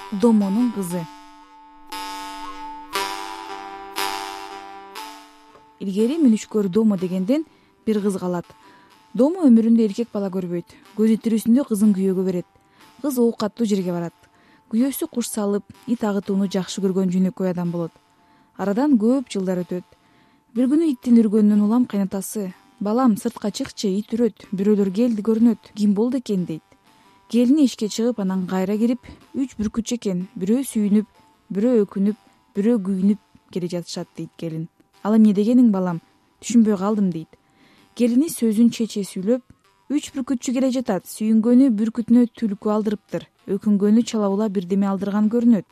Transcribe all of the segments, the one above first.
Домонун кызы. Илгери мүнүшкөр Домо дегенден бир кыз калат. Домо өмүрүндө эркек бала көрбөйт. Көзү тирүүсүндө кызын күйөөгө берет. Кыз оокаттуу жерге барат. Күйөөсү куш салып, ит агытууну жакшы көргөн жөнөкөй адам болот. Арадан көп жылдар өтөт. Бир күнү иттин үргөнүнөн улам кайнатасы: "Балам, сыртка чыкчы, ит үрөт, бирөөлөр келди көрүнөт, ким болду экен?" дейт. Келини ишке чыгып, анан кайра кирип, 3 бүркүтчү экен. Бирөө сүйүнүп, бирөө өкүнүп, бирөө күйүнүп келе жатышат дейт келин. "Ал эмне дегениң, балам? Түшүнбөй калдым" дейт. Келини сөзүн чече сүйлөп: "3 бүркүтчү келе жатат. Сүйүнгөнү бүркүтүнө түлкү алдырыптыр. Өкүнгөнү чалабула бирдеме алдырган көрүнөт.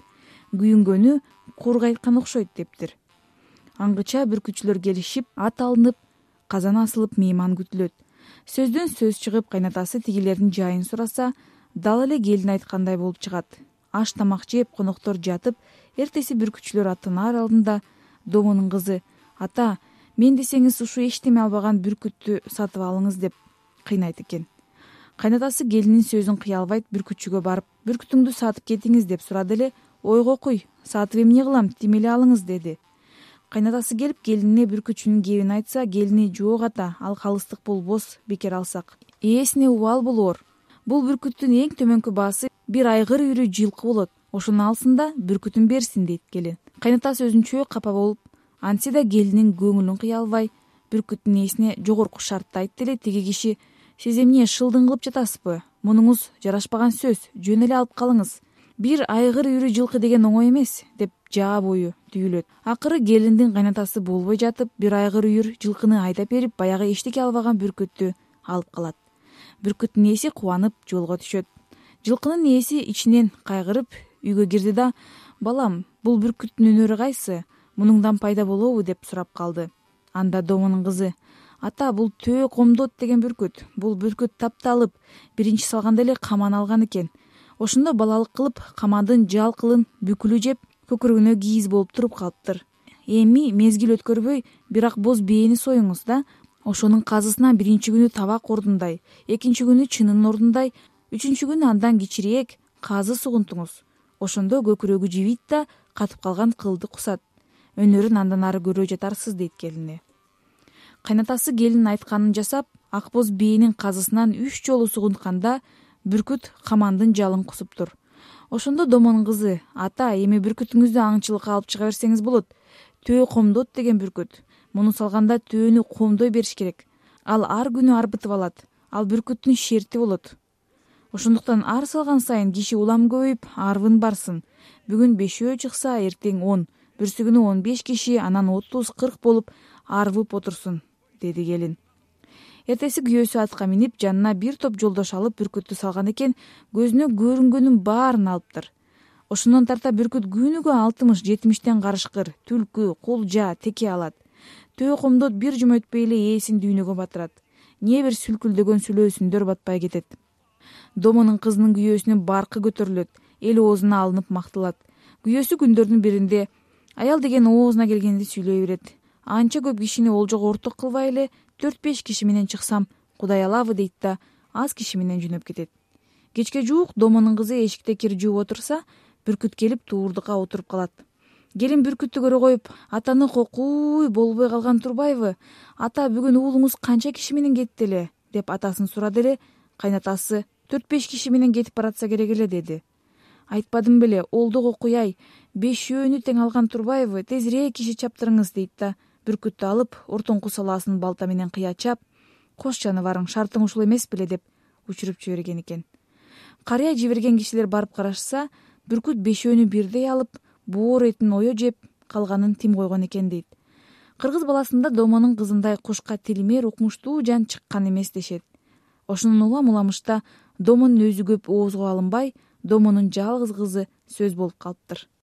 Күйүнгөнү куур кайткан окшойт" дептир. Аңгыча бүркүтчүлөр келишип, ат алынып, казан асылып, мейман күтүлөт. Сөздөн сөз чыгып, кайнатасы тигилердин жайын сураса, дал эле келин айткандай болуп чыгат. Аш тамак жеп, коноктор жатып, эртеси бүркүтчүлөр аттанаар алдында Домонун кызы: "Ата, мен десеңиз ушу эчтеме албаган бүркүттү сатып алыңыз" деп кыйнайт экен. Кайнатасы келинин сөзүн кыя албайт, бүркүтчүгө барып: "Бүркүтүңдү сатып кетиңиз" деп сурады эле. "Ойго куй, сатып эмне кылам, тим эле алыңыз" деди. Кайнатасы келип келинине бүркүтчүнүн кебин айтса, келини: "Жок ата, ал калыстык болбос, бекер алсак. Ээсине убал болоор. Бул бүркүттүн эң төмөнкү баасы бир айгыр үйрү жылкы болот. Ошону алсын да бүркүтүн берсин" дейт келин. Кайнатасы өзүнчө капа болуп, антсе да келинин көңүлүн кыя албай, бүркүттүн ээсине жогорку шартты айтты эле. Тиги киши: "Сиз эмне шылдың кылып жатасызбы? Мунуңуз жарашпаган сөз, жөн эле алып калыңыз. Бир айгыр үйрү жылкы деген оңой эмес" деп жаа бою түйүлөт. Акыры келиндин кайнатасы болбой жатып, бир айгыр үйүр жылкыны айдап берип, баягы эчтеке албаган бүркүттү алып калат. Бүркүттүн ээси кубанып жолго түшөт. Жылкынын ээси ичинен кайгырып үйгө кирди да: "Балам, бул бүркүттүн өнөрү кайсы? Мунуңдан пайда болобу?" деп сурап калды. Анда Домонун кызы: "Ата, бул төө комдот деген бүркүт. Бул бүркүт тапталып, биринчи салганда эле каман алган экен. Ошондо балалык кылып, камандын жалкылын бүкүлү жеп, көкүрөгүнө кийиз болуп туруп калыптыр. Эми мезгил өткөрбөй, бир ак боз бээни союңуз да. Ошонун казысынан биринчи күнү табак ордундай, экинчи күнү чынын ордундай, үчүнчү күнү андан кичирээк казы сугунтуңуз. Ошондо көкүрөгү жибийт да, катып калган кылды кусат. Өнөрүн андан ары көрө жатарсыз" дейт келине. Кайнатасы келинин айтканын жасап, ак боз бээнин казысынан 3 жолу сугунтканда, бүркүт камандын жалын кусуптур. Ошондо Домонун кызы: "Ата, эми бүркүтүңүздү аңчылыкка алып чыга берсеңиз болот. Төө комдот деген бүркүт. Муну салганда төөнү комдой бериш керек. Ал ар күнү арбытып алат. Ал бүркүттүн шерти болот. Ошондуктан ар салган сайын киши улам көбөйүп, арбын барсын. Бүгүн 5 чыкса, эртең 10, бүрсү күнү 15 киши, анан 30-40 болуп арбып отурсун" деди келин. Эртеси күйөөсү атка минип, жанына бир топ жолдош алып бүркүттү салган экен, көзүнө көрүнгөнүн баарын алыптыр. Ошондон тарта бүркүт күнүгө 60-70тен карышкыр, түлкү, кулжа, теке алат. Төө комдот бир жума өтпөй эле ээсин дүйнөгө батырат. Не бир сүлкүлдөгөн сүлөөсүндөр батпай кетет. Домонун кызынын күйөөсүнүн баркы көтөрүлөт, эл оозуна алынып макталат. Күйөөсү күндөрдүн биринде: "Аял деген оозуна келгенди сүйлөй берет. Анча көп кишини олжого орток кылбай эле 4-5 киши менен чыксам, Кудай алабы" дейт да, аз киши менен жөнөп кетет. Кечке жуук Домонун кызы эшикте кир жууп отурса, бүркүт келип туурдукка отуруп калат. Келин бүркүттү көрө коюп: "Атаны кокуй, болбой калган турбайбы? Ата, бүгүн уулуңуз канча киши менен кетти эле?" деп атасын сурады эле. Кайнатасы: "4-5 киши менен кетип баратса керек эле" деди. "Айтпадым беле, олдо кокуяй, 5 тең алган турбайбы? Тезирээк киши чаптырыңыз" дейт да, бүркүттү алып, ортоңку салаасын балта менен кыя чап: "Кош жаныбарың, шартың ушул эмес беле" деп учуруп жиберген экен. Карыя жиберген кишилер барып карашса, бүркүт 5 бирдей алып, боор этин ое жеп, калганын тим койгон экен дейт. Кыргыз баласында Домонун кызындай кушка тилмер, укмуштуу жан чыккан эмес дешет. Ошонун улам уламышта Домонун өзү көп оозго алынбай, Домонун жалгыз кызы сөз болуп калыптыр.